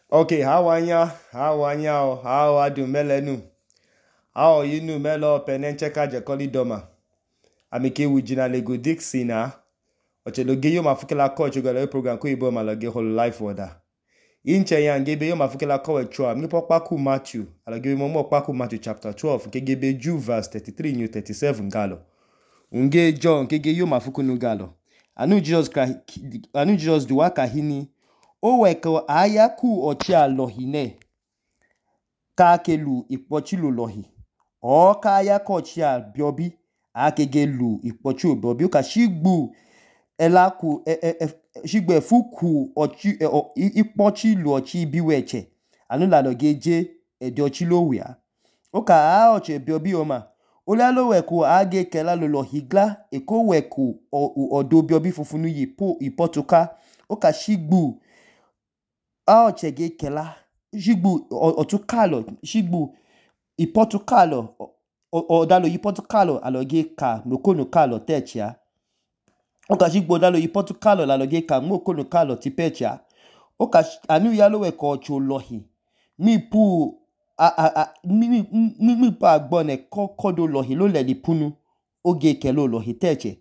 Okay, how are ya? How are you melenu? How are you nu melo penencheka jekoli doma? Amike wijina lego Dixina. Ocheloge yo mafukela ko chogala program ko ibo malage whole life order. Inche ya ngebe yo mafukela ko wechwa mi pokpaku Matthew. Alage mo pokpaku Matthew chapter 12 kegebe Jew verse 33 new 37 galo. Unge John kege yo mafukunu galo. Anu Jesus duwa kahini. O weko ayaku ochia lohine ka kelu ikpochilu lohi o ka ayaku ochia biobi akegelu ikpochilu biobi o ka shigbu elaku shigbe fuku ochi ikpochilu ochi biweche anu la logeje ede ochilo wia o ka a oche biobi oma olalo weko age kela lo lohigla eko weko odo biobi fufunu ipotuka o ka shigbu aochege kela shigbu otukalo shigbu ipotukalo odalo ipotukalo aloge ka nokonukalo techia oka shigbu odalo ipotukalo aloge ka mokonukalo tipechia oka anu yalo we ko cholohi mi pu mi pa agbone kodo lohi lo le lipunu oge kelo lohi teche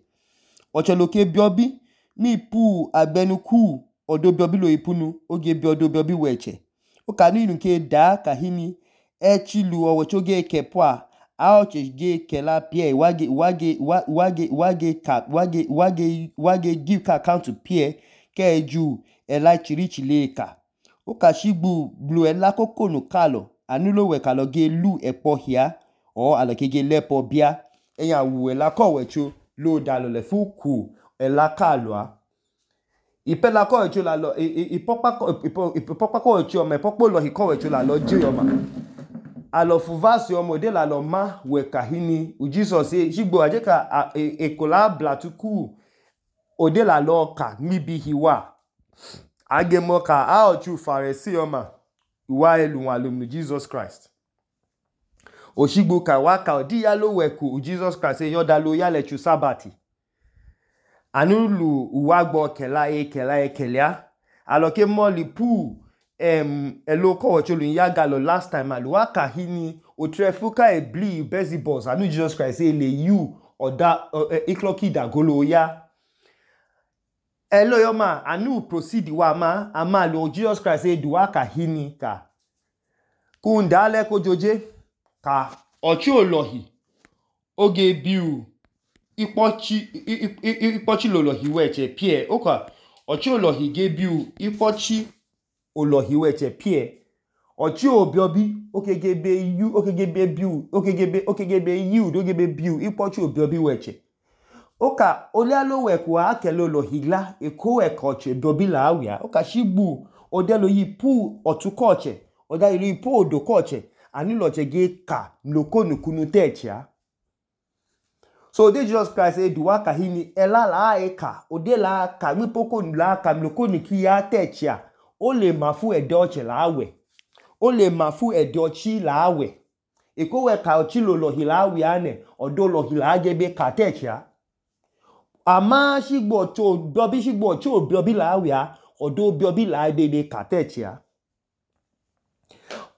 ocholoke biobi mi pu agbenuku odo biobi lo ipunu oge bi odo biobi weche o ka ni nke da kahini echilu owechoge kepwa aoche ge kela pie wage give ka account pie keju ela chirichileka o ka shigbu blu ela kokonu kalo anulo we kalo ge lu epo hia o alokege lepo bia eya wu ela ko wecho lo dalo le fuku ela kalwa ipela ko echo la lo ipokpa ko echo me pokpo lo hiko echo la lo je yoma alo fuvasi omode la lo ma we kahini u Jesus shigbo ajeka ekola blatuku ode la lo ka mibi hiwa agemo ka a ochu Pharisee yoma wa elu alumnu Jesus Christ oshigbo ka waka odi ya lo weku u Jesus Christ yoda lo ya le chu sabati anulu uwagbo kelia aloke moli pu eloko ocholu yagalo last time aluwa kahini otrefuka ebli bezibos anu Jesus Christ le you oda ikloki dagolo ya elo yoma anu proceed wa ama lo Jesus Christ duwa kahini ka kundale kojoje ka ochi olohi oge biu ikpochi lolohi weche pie oka ochi olohi gebiu ikpochi olohi weche pie ochi obiobi okegebe biu ikpochi obiobi weche oka olialo weku akelo olohi la eko weko oche biobi la awia oka shigbu odelo yipu otukoche odalo yipu odokoche aniloche ge ka nokonukunu techia so ode Jesus Christ duwa kahini ela la eka ode la ka mipoko la ka mloko niki ya techia o le mafu ede oche la awe o le mafu ede ochi la awe eko we ka ochi lohi la awe ane odo lohi la agebe ka techia ama shigbo to biobi shigbo cho biobi la awe odo biobi la agebe ka techia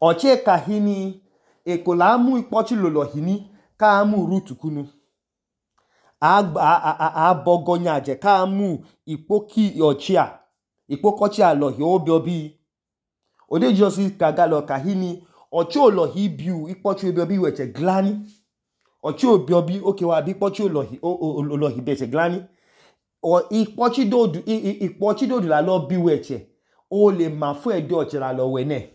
oche kahini eko la mu ikpochi lohi ni ka mu rutukunu abogonyaje ka mu ikpoki ochia ikpokochia lohi obiobi ode Jesus kagalo kahini ochi olohi biu ikpochi obiobi weche glani ochi obiobi okewa bi ikpochi olohi beche glani o ikpochi dodu la lo bi weche o le mafu ede oche la lo wene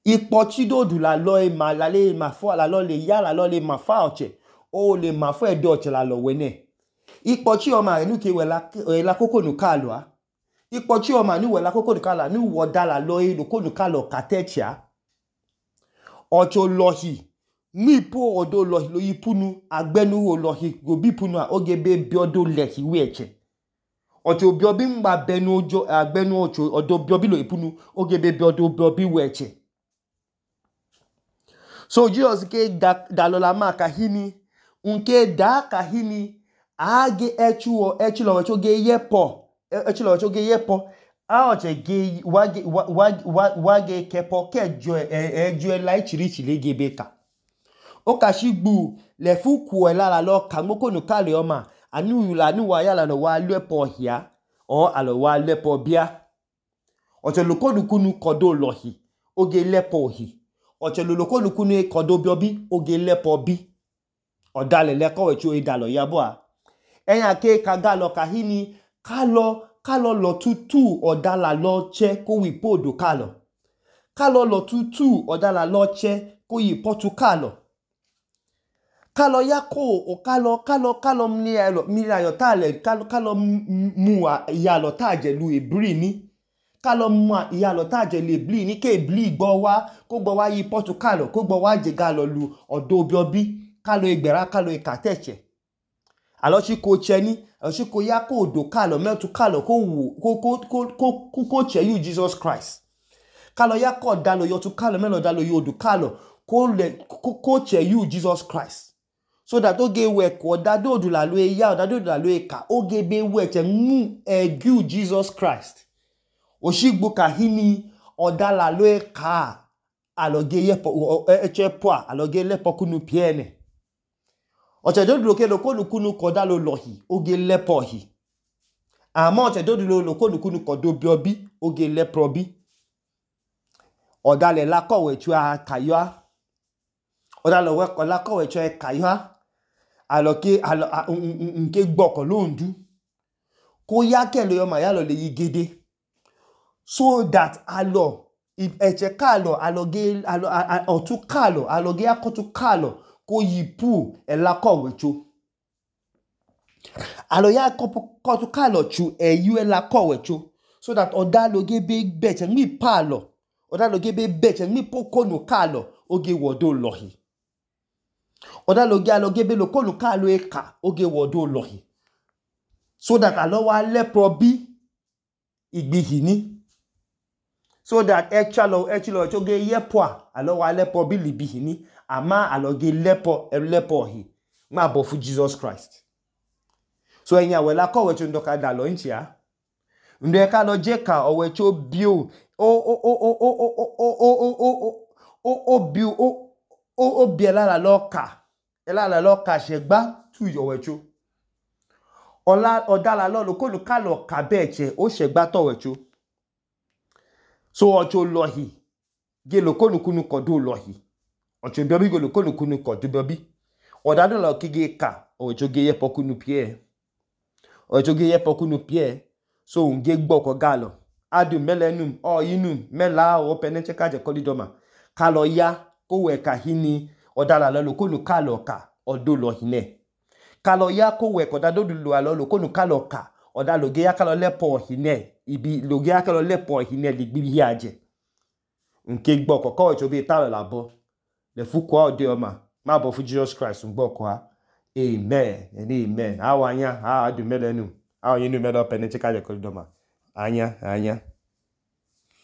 ikpochi dodu la lo ma la le mafu la lo le ya la lo le mafa oche o le mafu ede oche la lo wene ikpochi oma enuke wela kokonu kalwa ikpochi oma ni wela kokonu kala ni wodala lo kokonu kalo katechia ocho lohi mi po odo lohi lo yipunu agbenu wo lohi go bipunu ogebe biodo lehi weche ocho biobi mba benu ojo agbenu ocho odo biobi lo yipunu ogebe biodo biobi weche so Jesus ke dalola ma kahini unke da kahini age echilo wecho ge yepo oche ge wage kepo kejo ejo la ichirichiri gebe ka okashigbu lefu ku elala lo ka ngokonu kale oma anu wa yala no wa lepo hia o alo wa lepo bia oche lokonu kunu kodo lohi oge lepo hi oche lokonu kunu kodo biobi oge lepo bi odale leko wechu idalo yabo enya ke kagalo kahini kalo lo tutu odala lo che ko wi podo kalo lo tutu odala lo che ko yi potu kalo yako o kalo mirayo tale kalo mu yalo taje lu ebri ni kalo mu yalo taje lu ebri ni ke ebri gbo wa yi potu ko gbo wa je galo lu odo biobi kalo igbera kalo ikateche alo chi ko che ni alo chi ko yako odo kalo metu kalo ko che you Jesus Christ kalo yako dalo yotu kalo melo dalo yodu kalo ko che you Jesus Christ so that oge we ko dado du la lo ya dado du la lo ka oge be we che mu egu Jesus Christ oshigbu kahini odala lo ka aloge yepo echepo aloge lepo kunu piene oche dodu loke lokonu kunu kodalo lohi oge lepo hi ama oche dodu lokonu kunu kodo biobi oge lepro bi odale la kowe chu akayo odale we ko la kowe chu akayo aloke nke gboko londu ko ya kele yo ma yalo le yigede so that alo eche kalo aloge otu kalo aloge akotu kalo ko yipu elakowe chu alo ya kotu kalo chu eyu elakowe chu so that odaloge be beche mi palo odaloge be beche mi pokonu kalo oge wodo lohi aloge be lokonu kalo eka oge wodo lohi so that alo wa lepro bi igbihini so that actually oge yepo alo wa lepo bi libihini ama aloge lepo hi ma bo fu Jesus Christ so enya we la kowe chu ndoka dalo nchia ndo ka lo je ka owe chu bio o biela la loka shegba tu yowe chu odala lo lokonu kalo ka beche o shegba to wechu so ocho lohi ge lokonu kunu kodo lohi ocho biobi go lokonu kunu kodo biobi odado lo kige ka ocho ge yepo kunu pie so unge gboko galo adu melenum o yinum mela o penencheka je kolidoma kalo ya ko we ka hini odala lo lokonu kalo ka odo lohine kalo ya ko we ko dado du lo lokonu kalo ka odalo ge ya kalo lepo hine ibi loge ya kalo lepo hine ligbi aje nke gboko ko ocho be talo labo le fuko ode oma ma bo fu Jesus Christ ngboko ha amen and amen awanya adu melenum awo yinu melo penencheka je kolidoma anya